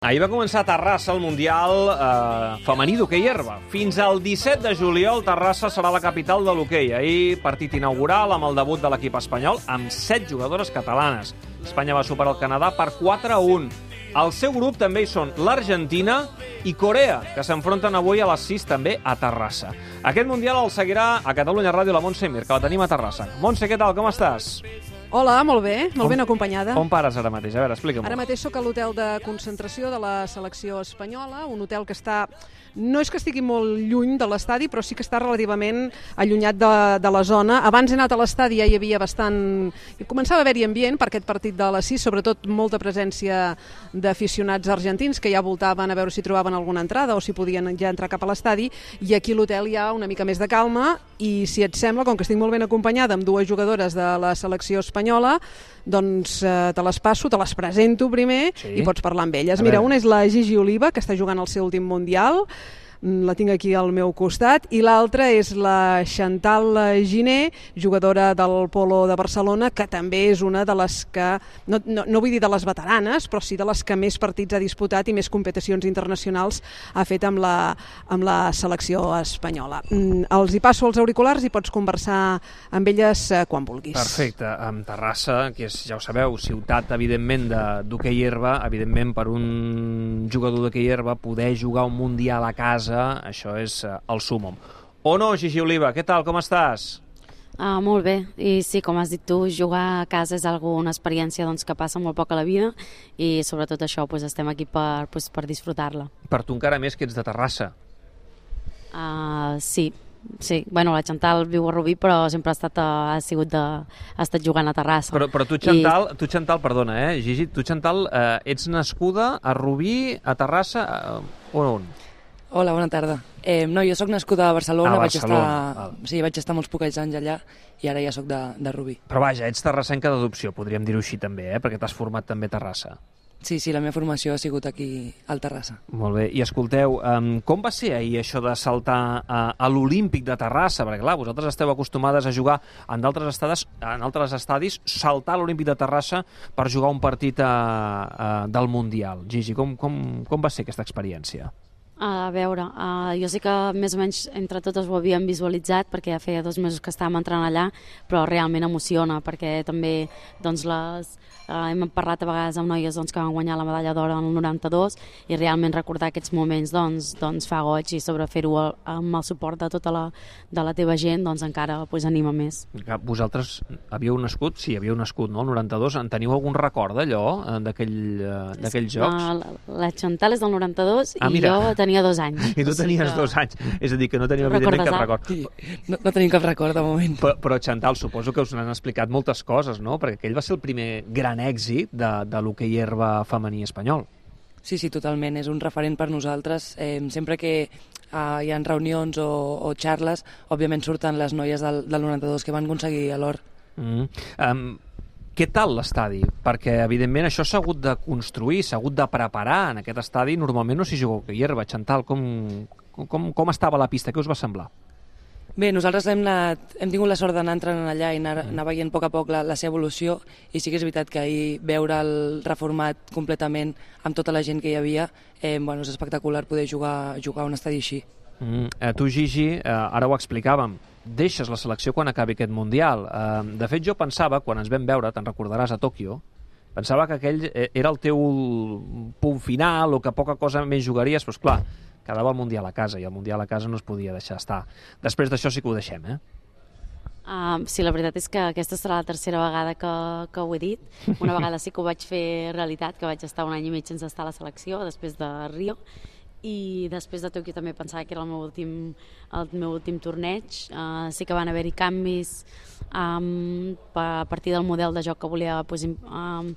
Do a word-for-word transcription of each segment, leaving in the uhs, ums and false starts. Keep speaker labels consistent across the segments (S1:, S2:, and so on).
S1: Ahir va començar a Terrassa el Mundial eh, femení d'hoquei herba. Fins al disset de juliol, Terrassa serà la capital de l'hoquei. Ahir, partit inaugural amb el debut de l'equip espanyol amb set jugadores catalanes. Espanya va superar el Canadà per quatre a un. Al seu grup també hi són l'Argentina i Corea, que s'enfronten avui a les sis també a Terrassa. Aquest Mundial el seguirà a Catalunya Ràdio la Montse Mir, que la tenim a Terrassa. Montse, què tal? Com estàs?
S2: Hola, molt bé, molt
S1: on,
S2: ben acompanyada.
S1: On pares ara mateix? A veure, explica'm.
S2: Ara mateix sóc a l'hotel de concentració de la selecció espanyola, un hotel que està... No és que estigui molt lluny de l'estadi, però sí que està relativament allunyat de, de la zona. Abans he anat a l'estadi, ja hi havia bastant... Començava a haver-hi ambient per aquest partit de les sis, sobretot molta presència d'aficionats argentins que ja voltaven a veure si trobaven alguna entrada o si podien ja entrar cap a l'estadi, i aquí a l'hotel hi ha una mica més de calma, i si et sembla, com que estic molt ben acompanyada amb dues jugadores de la selecció espanyola, doncs eh, te les passo, te les presento primer, sí, i pots parlar amb elles. Mira, una és la Gigi Oliva, que està jugant el seu últim Mundial, la tinc aquí al meu costat, i l'altra és la Chantal Giné, jugadora del Polo de Barcelona, que també és una de les que, no, no, no vull dir de les veteranes, però sí de les que més partits ha disputat i més competicions internacionals ha fet amb la, amb la selecció espanyola. Mm, els hi passo els auriculars i pots conversar amb elles eh, quan vulguis.
S1: Perfecte. Amb Terrassa, que és, ja ho sabeu, ciutat, evidentment, d'hoquei herba, evidentment, per un jugador d'hoquei herba poder jugar un Mundial a casa, això és uh, el súmmum. O no, Gigi Oliva, què tal, com estàs?
S3: Ah, molt bé, i sí, com has dit tu, jugar a casa és algo, una experiència doncs, que passa molt poc a la vida, i sobretot això, doncs, estem aquí per, doncs, per disfrutar-la.
S1: Per tu encara més que ets de Terrassa.
S3: Ah, sí, sí. Bueno, la Chantal viu a Rubí, però sempre ha estat, ha sigut de, ha estat jugant a Terrassa.
S1: Però, però tu, Chantal,
S3: I...
S1: tu, Chantal, perdona, eh, Gigi, tu, Chantal, eh, ets nascuda a Rubí, a Terrassa, eh, on, on?
S4: Hola, bona tarda. Eh, no, jo sóc nascuda a Barcelona,
S1: a
S4: vaig
S1: Barcelona.
S4: estar, sí, vaig estar molts poquets anys allà i ara ja sóc de, de Rubí.
S1: Però vaja, ets terrassenca d'adopció, podríem dir-ho així també, eh? Perquè t'has format també a Terrassa.
S4: Sí, sí, la meva formació ha sigut aquí al Terrassa.
S1: Molt bé, i escolteu, um, com va ser ahir això de saltar a, a l'Olímpic de Terrassa? Perquè clar, vosaltres esteu acostumades a jugar en d'altres estadis, en altres estadis, saltar a l'Olímpic de Terrassa per jugar un partit a, a, del Mundial. Gigi, com, com, com va ser aquesta experiència?
S3: A veure, uh, jo sé que més o menys entre totes ho havíem visualitzat perquè ja feia dos mesos que estàvem entrant allà, però realment emociona perquè també doncs, les, uh, hem parlat a vegades amb noies doncs, que van guanyar la medalla d'or en el noranta-dos i realment recordar aquests moments doncs, doncs fa goig, i sobre fer-ho amb el suport de tota la, de la teva gent doncs encara pues, anima més.
S1: Vosaltres havíeu nascut, sí, havíeu nascut, no? El noranta-dos, en teniu algun record d'allò, d'aquells jocs?
S3: Uh, la, la Chantal és del noranta-dos
S1: ah,
S3: i jo tenia tenia dos anys.
S1: I tu tenies que... dos anys. És a dir, que no tenim evidentment cap record.
S4: Sí, no, no tenim cap record de moment.
S1: Però, però Chantal, suposo que us n'han explicat moltes coses, no? Perquè aquell va ser el primer gran èxit de, de l'hoquei herba femení espanyol.
S4: Sí, sí, totalment. És un referent per nosaltres. Eh, sempre que eh, hi ha reunions o, o xarles, òbviament surten les noies del, del noranta-dos que van aconseguir l'or.
S1: Mm. Um, Què tal l'estadi? Perquè, evidentment, això s'ha hagut de construir, s'ha hagut de preparar en aquest estadi. Normalment no s'hi juga hoquei herba. Chantal, com, com, com estava la pista? Què us va semblar?
S4: Bé, nosaltres hem, anat, hem tingut la sort d'anar entrant allà i anar, anar veient a poc a poc la, la seva evolució, i sí que és veritat que ahir veure el reformat completament amb tota la gent que hi havia, eh, bueno, és espectacular poder jugar, jugar a un estadi així.
S1: Mm, eh, tu, Gigi, eh, ara ho explicàvem, deixes la selecció quan acabi aquest Mundial. Eh, de fet, jo pensava, quan ens vam veure, te'n recordaràs, a Tòquio, pensava que aquell era el teu punt final o que poca cosa més jugaries, però esclar, quedava el Mundial a casa i el Mundial a casa no es podia deixar estar. Després d'això sí que ho deixem, eh?
S3: Uh, sí, la veritat és que aquesta serà la tercera vegada que, que ho he dit. Una vegada sí que ho vaig fer realitat, que vaig estar un any i mig sense estar a la selecció, després de Rio, i després de Tòquio també pensava que era el meu últim, el meu últim torneig. Uh, sí que van haver-hi canvis um, a partir del model de joc que volia pues, um,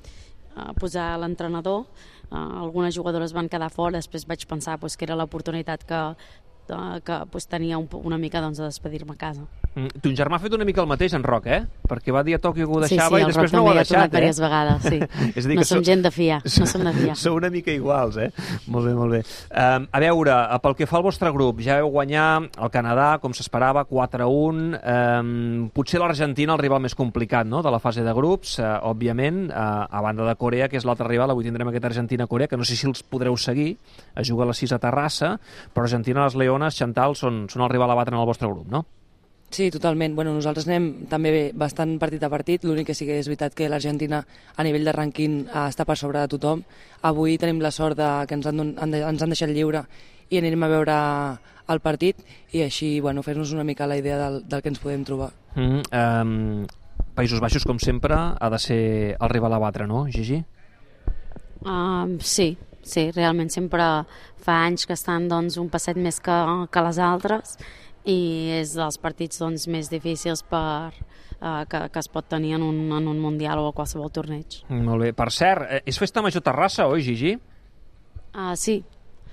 S3: uh, posar l'entrenador. Uh, algunes jugadores van quedar fora, després vaig pensar pues, que era l'oportunitat que eh, que pues, tenia un, una mica doncs, de despedir-me a casa.
S1: Mm. Ton germà ha fet una mica el mateix, en Roc, eh? Perquè va dir a Tòquio que ho
S3: Sí,
S1: deixava
S3: sí,
S1: i
S3: el
S1: després
S3: Roc
S1: no ho ha
S3: també hi ha
S1: deixat,
S3: tornat diverses
S1: eh?
S3: vegades, sí.
S1: És a dir,
S3: No
S1: que
S3: som
S1: sou-
S3: gent de fiar, no som de fiar.
S1: Sou una mica iguals, eh? Molt bé, molt bé. Um, a veure, pel que fa al vostre grup, ja veu guanyar el Canadà, com s'esperava, quatre a un. Um, potser l'Argentina el rival més complicat, no?, de la fase de grups, uh, òbviament, uh, a banda de Corea, que és l'altre rival. Avui tindrem aquest Argentina-Corea, que no sé si els podreu seguir, a jugar a les sis a Terrassa, però Argentina, les Leones, Chantal, són, són el rival a batre en el vostre grup, no?
S4: Sí, totalment. Bueno, nosaltres anem també bé, bastant partit a partit, l'únic que sí que és veritat que l'Argentina a nivell de rànquing eh, està per sobre de tothom. Avui tenim la sort de, que ens han, don- han, de- ens han deixat lliure i anirem a veure el partit i així bueno, fer-nos una mica la idea del, del que ens podem trobar.
S1: Mm, um, Països Baixos, com sempre, ha de ser el rival a batre, no, Gigi?
S3: Um, sí, sí, realment sempre fa anys que estan doncs, un passet més que, que les altres i és dels partits doncs, més difícils per, uh, que, que es pot tenir en un, en un mundial o a qualsevol torneig.
S1: Molt bé. Per cert, eh, és Festa Major Terrassa, oi, Gigi?
S3: Uh, sí,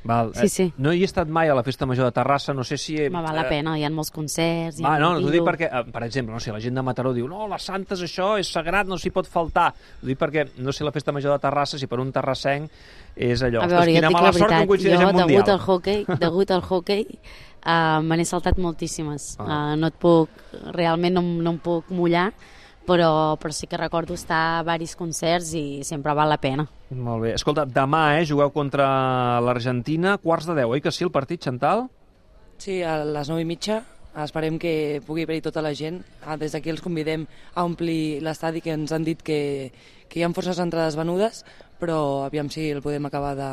S1: Val.
S3: Sí, sí.
S1: Eh, no hi he estat mai a la Festa Major de Terrassa, no sé si... He...
S3: me val la pena, hi ha molts concerts... Hi ha
S1: Va, no,
S3: molt
S1: t'ho dic
S3: tiro.
S1: perquè, eh, per exemple, no sé, la gent de Mataró diu no, les Santes, això és sagrat, no s'hi pot faltar. Ho dic perquè, no sé, la Festa Major de Terrassa, si per un terrassenc és allò.
S3: A veure,
S1: Ostres,
S3: jo et
S1: quina
S3: dic
S1: mala
S3: la
S1: sort que
S3: veritat,
S1: em coincideix
S3: jo
S1: en Mundial.
S3: degut al hockey, degut al hockey uh, me n'he saltat moltíssimes.
S1: Ah.
S3: Uh, no et puc, realment no, em- no em puc mullar, però, però sí que recordo estar a varis concerts i sempre val la pena.
S1: Molt bé. Escolta, demà, eh, jugueu contra l'Argentina, quarts de deu, oi que sí, el partit, Chantal?
S4: Sí, a les nou i mitja esperem que pugui haver-hi tota la gent. Ah, des d'aquí els convidem a omplir l'estadi, que ens han dit que, que hi ha forces entrades venudes, però aviam si el podem acabar de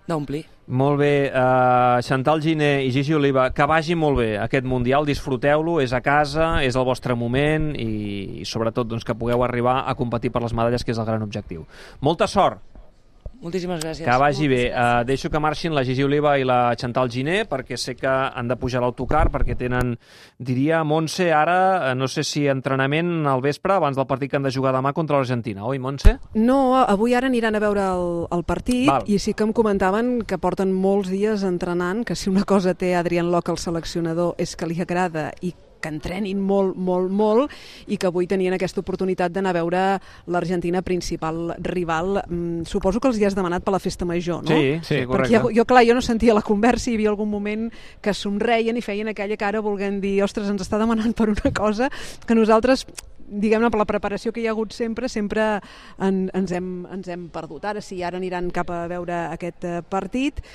S4: d'omplir.
S1: Molt bé, uh, Chantal Giner i Gigi Oliva, que vagi molt bé aquest Mundial, disfruteu-lo, és a casa, és el vostre moment i, i sobretot doncs, que pugueu arribar a competir per les medalles, que és el gran objectiu. Molta sort!
S4: Moltíssimes gràcies.
S1: Que vagi bé. Uh, deixo que marxin la Gigi Oliva i la Chantal Giner, perquè sé que han de pujar a l'autocar, perquè tenen, diria, Montse, ara, eh, no sé si entrenament al vespre, abans del partit que han de jugar demà contra l'Argentina, oi, Montse?
S2: No, avui ara aniran a veure el, el partit.
S1: Val.
S2: I sí que em comentaven que porten molts dies entrenant, que si una cosa té Adrián Loc, el seleccionador, és que li agrada i que entrenin molt, molt, molt, i que avui tenien aquesta oportunitat d'anar a veure l'Argentina, principal rival. Mm, suposo que els hi has demanat per la festa major, no?
S1: Sí, sí, correcte.
S2: Perquè jo, clar, jo no sentia la conversa, hi havia algun moment que somreien i feien aquella cara volent dir, ostres, ens està demanant per una cosa que nosaltres, diguem-ne, per la preparació que hi ha hagut sempre, sempre en, ens, hem, ens hem perdut. Ara sí, ara aniran cap a veure aquest eh, partit,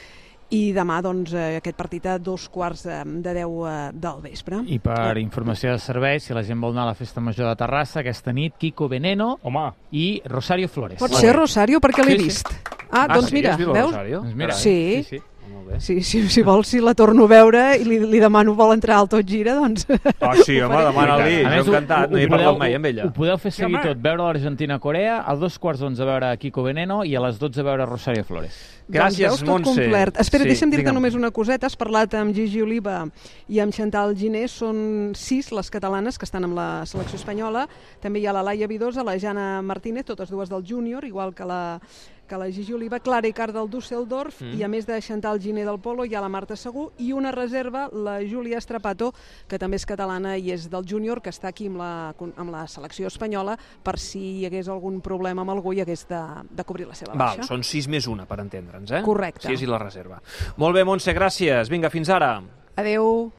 S2: i demà doncs, eh, aquest partit a dos quarts eh, de deu eh, del vespre.
S5: I per informació de servei, si la gent vol anar a la Festa Major de Terrassa, aquesta nit, Kiko Veneno
S6: Home.
S5: i Rosario Flores.
S2: Pot ser Rosario, perquè l'he
S5: Sí, sí.
S2: vist. Ah, doncs
S1: sí,
S2: mira,
S1: has vist la
S2: veus?
S1: Rosario?
S5: Doncs mira,
S2: Sí.
S5: sí, sí.
S1: Molt bé.
S2: Sí, sí, si vols, si la torno a veure i li, li demano vol entrar al Tot Gira, doncs...
S1: Ah, sí, home,
S2: faré.
S1: demana-li,
S5: A
S1: jo
S5: més, ho-
S1: encantat, no hi he
S5: ho podeu-
S1: parlat mai amb ella.
S5: Ho podeu fer seguir
S6: home.
S5: tot, veure l'Argentina-Corea, a dos quarts d'onze veure Kiko Veneno i a les dotze veure Rosario Flores.
S1: Gràcies,
S2: doncs veus, tot
S1: Montse.
S2: complert. Espera,
S1: Sí,
S2: deixa'm dir-te
S1: digue'm.
S2: només una coseta. Has parlat amb Gigi Oliva i amb Chantal Giner. Són sis les catalanes que estan amb la selecció espanyola. També hi ha la Laia Vidosa, la Jana Martínez, totes dues del júnior, igual que la, que la Gigi Oliva, Clara Icart del Düsseldorf,
S1: Mm.
S2: i a més de Chantal Giner del Polo hi ha la Marta Segú i una reserva, la Júlia Strapato, que també és catalana i és del júnior, que està aquí amb la, amb la selecció espanyola per si hi hagués algun problema amb algú i hagués de, de cobrir la seva
S1: Val,
S2: baixa.
S1: són sis més una, per entendre'ns, eh?
S2: Correcte.
S1: Sis i la reserva. Molt bé, Montse, gràcies. Vinga, fins ara.
S2: Adeu.